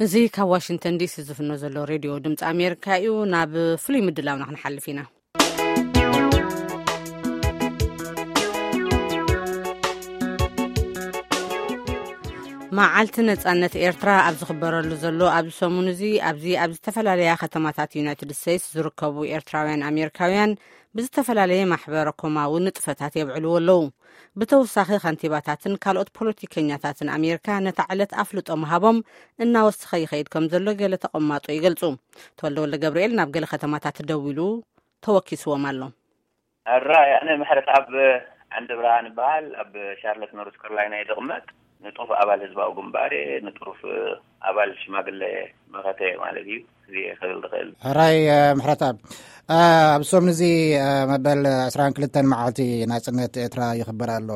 እዚ ካብ ዋሽንግተን ዲሲ ዝፍኖ ዘሎ ሬድዮ ድምፂ ኣሜሪካ እዩ። ናብ ፍሉይ ምድላውና ክንሓልፍ ኢና። መዓልቲ ነጻነት ኤርትራ ኣብ ዝኽበረሉ ዘሎ ኣብዚ ሰሙን እዚ፣ ኣብዚ ኣብ ዝተፈላለያ ከተማታት ዩናይትድ ስቴትስ ዝርከቡ ኤርትራውያን ኣሜሪካውያን ብዝተፈላለየ ማሕበረ ኮማዊ ንጥፈታት የብዕልዎ ኣለዉ። ብተወሳኺ ከንቲባታትን ካልኦት ፖለቲከኛታትን ኣሜሪካ ነታ ዕለት ኣፍልጦ ምሃቦም እናወሰኸ ይኸይድ ከም ዘሎ ገለ ተቐማጦ ይገልጹ። ተወልደ ወልደ ገብርኤል ናብ ገለ ከተማታት ደዊሉ ተወኪስዎም ኣሎ። ሕራይ፣ ኣነ ምሕረተኣብ ዓንደ ብርሃን እበሃል። ኣብ ሻርለት ኖርዝ ካሮላይና እየ ዝቕመጥ። ንጡፍ ኣባል ህዝባዊ ግንባር እየ፣ ንጡፍ ኣባል ሽማግለ መኸተ ማለት እዩ። እዚ እየ ክብል ዝኽእል። ሕራይ፣ እ፣ ምሕረተኣብ፣ እ፣ ኣብ ሰሙን እዚ፣ እ፣ መበል ዕስራን ክልተን መዓልቲ ናጽነት ኤርትራ ይኽበር ኣሎ።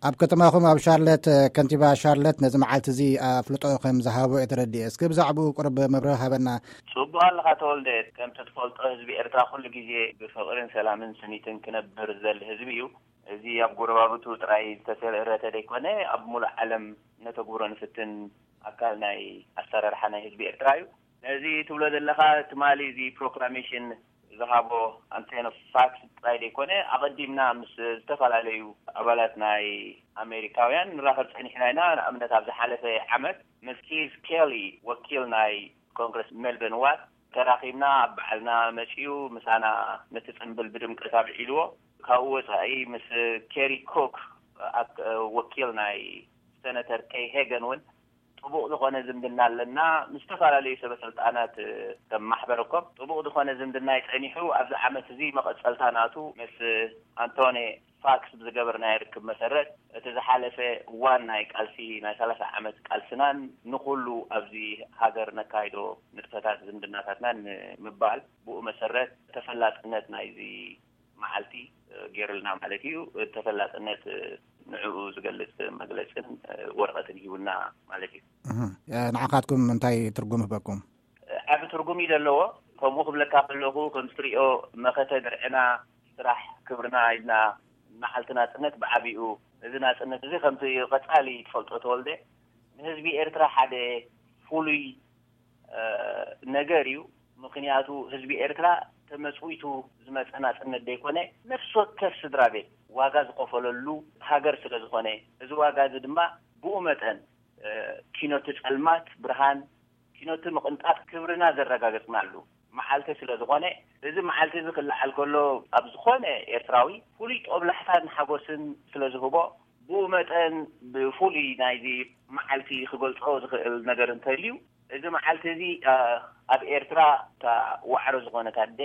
ኣብ ከተማኹም ኣብ ሻርለት፣ እ፣ ከንቲባ ሻርለት ነዚ መዓልቲ እዚ ኣፍልጦ ከም ዝሃቦ እየ ተረዲኤ። እስኪ ብዛዕባኡ ቁሩብ መብርሂ ሃበና። ጽቡቕ ኣለኻ ተወልደ። ከምቲ ትፈልጦ ህዝቢ ኤርትራ ኩሉ ግዜ ብፍቕርን ሰላምን ስኒትን ክነብር ዝደሊ ህዝቢ እዩ። እዚ ኣብ ጎረባብቱ ጥራይ ዝተሰረተ ዘይኮነ፣ ኣብ ሙሉእ ዓለም ነተግብሮ ንፍትን ኣካል ናይ ኣሰራርሓ ናይ ህዝቢ ኤርትራ እዩ። ነዚ ትብሎ ዘለኻ ትማሊ እዚ ፕሮክላሜሽን ዝሃቦ ኣንቶኒ ፋክስ ጥራይ ዘይኮነ፣ ኣቐዲምና ምስ ዝተፈላለዩ ኣባላት ናይ ኣሜሪካውያን ንራኸብ ጸኒሕና ኢና። ንኣብነት ኣብ ዝሓለፈ ዓመት ምስ ኪዝ ኬሊ፣ ወኪል ናይ ኮንግረስ ሜልበርን ዋት፣ ተራኺብና፣ ኣብ በዓልና መጺኡ ምሳና ነቲ ጽምብል ብድምቀት ኣብዒልዎ። ካብኡ ወጻኢ ምስ ኬሪ ኮክ፣ ኣክ-፣ ወኪል ናይ ሰነተር ከይ ሄገን እውን ጥቡቕ ዝኾነ ዝምድና ኣለና። ምስ ዝተፈላለዩ ሰበ ስልጣናት ከም ማሕበረኮም ጥቡቕ ዝኾነ ዝምድና ይጸኒሑ። ኣብዚ ዓመት እዚ መቐጸልታ ናቱ ምስ ኣንቶኒ ፋክስ ብዝገበርናዮ ርክብ መሰረት፣ እቲ ዝሓለፈ እዋን ናይ ቃልሲ፣ ናይ ሰላሳ ዓመት ቃልስናን ንኹሉ ኣብዚ ሃገር ነካይዶ ንጥፈታት ዝምድናታትናን ንምባል፣ ብኡ መሰረት ተፈላጥነት ናይዚ መዓልቲ፣ እ፣ ገይሩልና ማለት እዩ። ተፈላጥነት፣ እ፣ ንዕኡ ዝገልጽ መግለጽን፣ እ፣ ወረቐትን ሂቡና ማለት እዩ። እህ፣ እ፣ ንዓኻትኩም እንታይ ትርጉም ህበኩም? ዓቢ ትርጉም እዩ ዘለዎ። ከምኡ ክብለካ ከለኹ፣ ከም ትሪኦ፣ መኸተ ድርዕና፣ ስራሕ ክብርና ኢልና መዓልቲ ናጽነት ብዓቢኡ፣ እዚ ናጽነት እዚ ከምቲ ቀጻሊ ትፈልጦ ተወልደ፣ ንህዝቢ ኤርትራ ሓደ ፍሉይ፣ እ፣ ነገር እዩ። ምኽንያቱ ህዝቢ ኤርትራ ተመጽዊቱ ዝመጸ ናጽነት ዘይኮነ፣ ነፍሲ ወከፍ ስድራ ቤት ዋጋ ዝኸፈለሉ ሃገር ስለ ዝኾነ፣ እዚ ዋጋ እዚ ድማ ብኡ መጠን፣ እ፣ ኪኖቲ ጸልማት ብርሃን፣ ኪኖቲ ምቕንጣጥ ክብርና ዘረጋገጽናሉ መዓልቲ ስለ ዝኾነ፣ እዚ መዓልቲ እዚ ክለዓል ከሎ፣ ኣብ ዝኾነ ኤርትራዊ ፍሉይ ጦብላሕታን ሓጎስን ስለ ዝህቦ፣ ብኡ መጠን ብፍሉይ ናይዚ መዓልቲ ክገልጾ ዝኽእል ነገር እንተልዩ፣ እዚ መዓልቲ እዚ፣ እ፣ ኣብ ኤርትራ እታ ዋዕሮ ዝኾነት ኣደ፣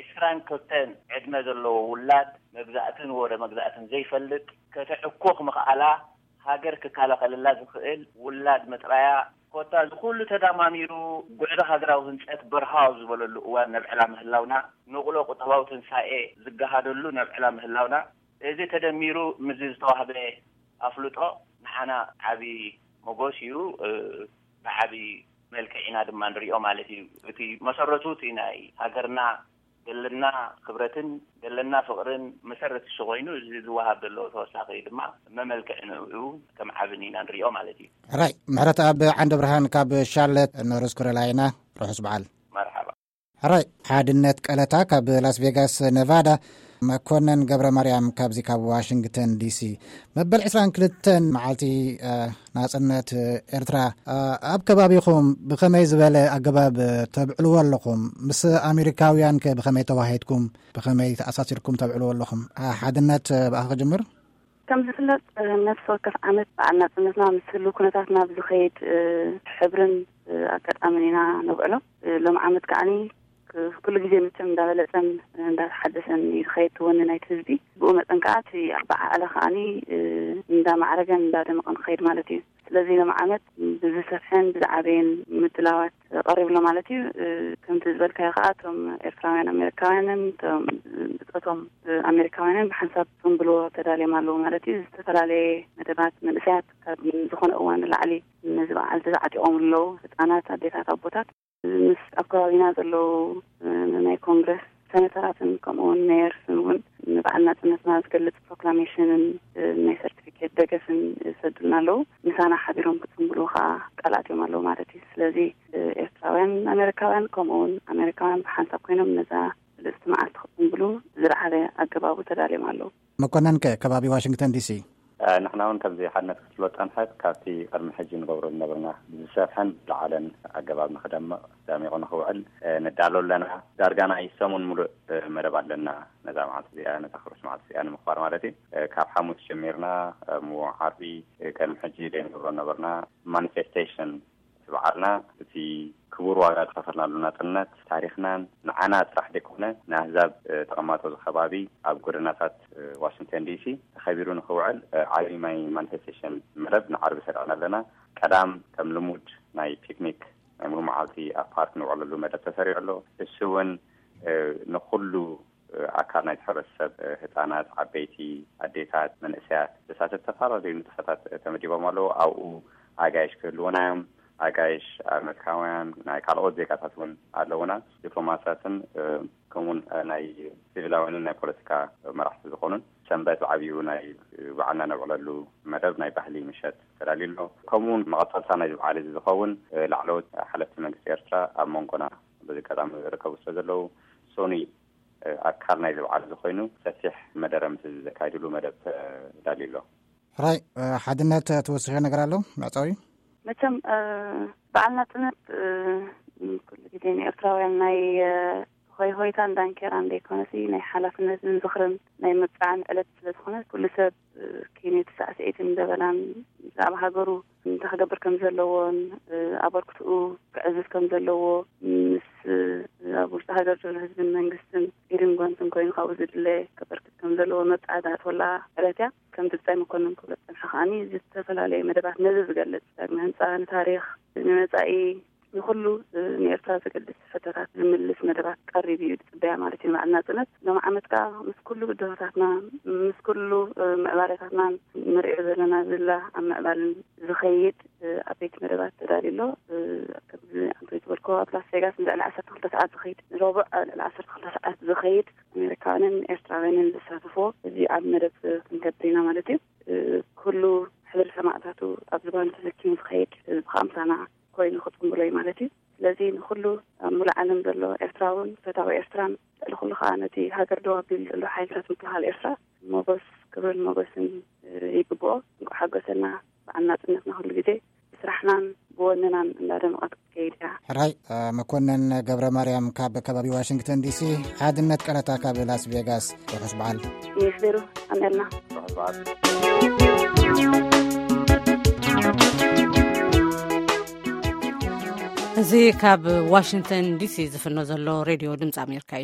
ዕስራን ክልተን ዕድመ ዘለዎ ውላድ፣ መግዛእትን ወረ መግዛእትን ዘይፈልጥ፣ ከተዕኮኽ ምኽኣላ፣ ሃገር ክከላኸለላ ዝኽእል ውላድ ምጥራያ፣ ኮታ እዚ ኩሉ ተዳማሚሩ፣ ጉዕዞ ሃገራዊ ህንጸት በርሃው ዝበለሉ እዋን ነብዕላ ምህላውና፣ ንቕሎ ቁጠባዊ ትንሳኤ ዝገሃደሉ ነብዕላ ምህላውና፣ እዚ ተደሚሩ ምስዚ ዝተዋህበ ኣፍልጦ ንዓና ዓቢ ሞጎስ እዩ። እ፣ ብዓቢ መልክዕ ኢና ድማ ንሪኦ ማለት እዩ። እቲ መሰረቱ እቲ ናይ ሃገርና ዘለና ክብረትን ዘለና ፍቕርን መሰረት እሱ ኮይኑ፣ እዚ ዝወሃብ ዘሎ ተወሳኺ ድማ መመልክዒ ንዕኡ ከም ዓብን ኢና ንሪኦ ማለት እዩ። ሕራይ፣ ምሕረተኣብ ዓንደ ብርሃን ካብ ሻርለት ኖርዝ ካሮላይና፣ ርሑስ በዓል። መርሓባ። ሕራይ፣ ሓድነት ቀለታ ካብ ላስ ቬጋስ ኔቫዳ፣ መኮነን ገብረ ማርያም ካብዚ ካብ ዋሽንግተን ዲሲ። መበል ዕስራን ክልተን መዓልቲ፣ እ፣ ናጽነት ኤርትራ፣ እ፣ ኣብ ከባቢኹም ብኸመይ ዝበለ ኣገባብ ተብዕልዎ ኣለኹም? ምስ ኣሜሪካውያን ከ ብኸመይ ተዋሂድኩም? ብኸመይ ተኣሳሲርኩም ተብዕልዎ ኣለኹም? እ፣ ሓድነት፣ እ፣ ብኣኻ ክጅምር። ከም ዝፍለጥ፣ እ፣ ነፍሲ ወከፍ ዓመት በዓል ናጽነትና ምስ ህሉው ኩነታትና ብዝኸይድ፣ እ፣ ሕብርን፣ እ፣ ኣጋጣምን ኢና ነብዕሎ። እ፣ ሎም ዓመት ከዓኒ ክ-፣ ኩሉ ግዜ መቸም እንዳበለጸን እንዳተሓደሰን እዩ ዝኸይድ እቲ ወኒ ናይቲ ህዝቢ። ብኡ መጠን ከኣ እቲ ኣበዓዕላ ከኣኒ፣ እ፣ እንዳማዕረገን እንዳደመቐን ክኸይድ ማለት እዩ። ስለዚ ሎም ዓመት ብዝሰፍሐን ብዝዓበየን ምድላዋት ቀሪቡ ኣሎ ማለት እዩ። እ፣ ከምቲ ዝበልካዮ ከኣ እቶም ኤርትራውያን ኣሜሪካውያንን እቶም ብጾቶም ኣሜሪካውያንን ብሓንሳብ ጽምብልዎ ተዳልዮም ኣለዉ ማለት እዩ። ዝተፈላለየ መደባት መንእሰያት ካብ ዝኾነ እዋን ንላዕሊ ነዚ በዓል ተዓጢቖም ኣለዉ። ህጻናት፣ ኣዴታት፣ ኣቦታት። ምስ ኣብ ከባቢና ዘለዉ፣ እ፣ ናይ ኮንግረስ ሰነተራትን ከምኡ እውን ሜየርስን እውን ንበዓል ናጽነትና ዝገልጽ ፕሮክላሜሽንን ናይ ሰርቲፊኬት ደገፍን ይሰዱልና ኣለዉ። ምሳና ሓቢሮም ክጽንብሉ ከዓ ቃል ኣትዮም ኣለዉ ማለት እዩ። ስለዚ ኤርትራውያን ኣሜሪካውያን፣ ከምኡ እውን ኣሜሪካውያን ብሓንሳብ ኮይኖም ነዛ ብልጽቲ መዓልቲ ክጽንብሉ ዝለዓለ ኣገባቡ ተዳልዮም ኣለዉ። መኮነን ከ ከባቢ ዋሽንግተን ዲሲ? ንሕና እውን ከምዚ ሓድነት ክትፍሎ ጸንሐት ካብቲ ቅድሚ ሕጂ ንገብሮ ዝነበርና ብዝሰፍሐን ዝለዓለን ኣገባብ ንክደምቕ ደሚቑ ንክውዕል ንዳሎ ኣለና። ዳርጋ ናይ ሰሙን ሙሉእ መደብ ኣለና። ነዛ መዓልቲ እዚኣ፣ ነታ ክሩስ መዓልቲ እዚኣ ንምኽባር ማለት እዩ። ካብ ሓሙስ ጀሚርና፣ እሞ ዓርቢ፣ ቅድሚ ሕጂ ደይ ንገብሮ ነበርና ማኒፌስቴሽን። እቲ በዓልና እቲ ክቡር ዋጋ ዝኸፈልናሉ ናጽነት ታሪኽናን ንዓና ጥራሕ ደይኮነ ንኣህዛብ ተቐማጦ ዝከባቢ ኣብ ጎደናታት ዋሽንግተን ዲሲ ተኸቢሩ ንክውዕል ዓቢ ማይ ማኒፌስቴሽን መደብ ንዓርቢ ሰሪዕና ኣለና። ቀዳም ከም ልሙድ ናይ ፒክኒክ ናይ ሙሉ መዓልቲ ኣብ ፓርክ ንውዕለሉ መደብ ተሰሪዑ ኣሎ። እሱ እውን ንኩሉ ኣካል ናይቲ ሕብረተሰብ፣ ህጻናት፣ ዓበይቲ፣ ኣዴታት፣ መንእሰያት ዘሳተፍ ዝተፈላለዩ ንጥፈታት ተመዲቦም ኣለዉ። ኣብኡ ኣጋይሽ ክህልውና እዮም። ኣጋይሽ ኣመሪካውያን፣ ናይ ካልኦት ዜጋታት እውን ኣለውና። ዲፕሎማሳትን ከምኡውን ናይ ሲቪላውያንን ናይ ፖለቲካ መራሕቲ ዝኾኑን ሰንበት ብዓብዩ ናይ ባዕልና ነብዕለሉ መደብ ናይ ባህሊ ምሸት ተዳልዩ ኣሎ። ከምኡውን መቐጸልታ ናይዚ በዓል እዚ ዝኸውን ላዕለዎት ሓለፍቲ መንግስቲ ኤርትራ ኣብ መንጎና በዚ ኣጋጣሚ ዝርከቡ ስለ ዘለዉ ሶኒ ኣካል ናይዚ በዓል እዚ ኮይኑ ሰፊሕ መደረ ምስ ህዝቢ ዘካይድሉ መደብ ተዳልዩ ኣሎ። ሕራይ ሓድነት ትወስኽዮ ነገር ኣሎ መዕጸዊ? መቸም በዓል ናጽነት ኩሉ ግዜ ንኤርትራውያን ናይ ሆይ ሆይታን ዳንኬራን ዘይኮነሲ ናይ ሓላፍነትን ዝኽርን ናይ ምብጻዕን ዕለት ስለ ዝኾነ ኩሉ ሰብ ኪኔት ሳዕስዒትን ደበናን ብዛዕባ ሃገሩ እንታይ ክገብር ከም ዘለዎን ኣበርክትኡ ክዕዝዝ ከም ዘለዎ ምስ ኣብ ውሽጢ ሃገር ዘሎ ህዝብን መንግስትን ኢድን ጓንትን ኮይኑ ካብኡ ዝድለ ከበርክት ከም ዘለዎ መብጻዕቲ ኣትወላ ዕለት እያ። ከም ግብጻይ መኮንን ክብሎ ዝጸንሐ ከዓኒ ዝተፈላለዩ መደባት ነዚ ዝገልጽ ዳግመ ህንጻ ንታሪኽ ንመጻኢ ንኩሉ ንኤርትራ ዘገድስ ሕቶታት ዝምልስ መደባት ቀሪቡ እዩ ዝጽበያ ማለት እዩ። በዓል ናጽነት ሎም ዓመት ከዓ ምስ ኩሉ ብድሆታትና ምስ ኩሉ ምዕባለታትና ንሪኦ ዘለና ዝላ ኣብ ምዕባልን ዝኸይድ ዓበይቲ መደባት ተዳልዩ ኣሎ። ከምዚ ኣንቶይ ዝበልኮ ኣብ ላስ ቬጋስ ንልዕሊ ዓሰርተ ክልተ ሰዓት ዝኸይድ ንረቡዕ ልዕሊ ዓሰርተ ክልተ ሰዓት ዝኸይድ ኣሜሪካውያንን ኤርትራውያንን ዝሳተፎ እዚ ኣብ መደብ ክንገብር ኢና ማለት እዩ። ኩሉ ሕብሪ ሰማእታቱ ኣብ ዝባኑ ተሰኪሙ ዝኸይድ ህዝቢ ከዓ ምሳና ኮይኑ ክጽንብሎ እዩ ማለት እዩ። ስለዚ ንኩሉ ኣብ ሙሉእ ዓለም ዘሎ ኤርትራውን ፈታዊ ኤርትራን ልዕሊ ኩሉ ከዓ ነቲ ሃገር ደው ኣቢሉ ዘሎ ሓይልታት ምክልኻል ኤርትራ ሞጎስ ክብርን ሞጎስን ይግብኦ። እንኳዕ ሓጎሰና በዓል ናጽነትና ኩሉ ግዜ ብስራሕናን ብወነናን እንዳደመቐት ክትከይድ እያ። ሕራይ መኮነን ገብረ ማርያም ካብ ከባቢ ዋሽንግተን ዲሲ፣ ሓድነት ቀረታ ካብ ላስ ቬጋስ። ርሑስ በዓል። ይስደሩ ኣሜልና። እዚ ካብ ዋሽንግተን ዲሲ ዝፍኖ ዘሎ ሬድዮ ድምፂ ኣሜሪካ እዩ።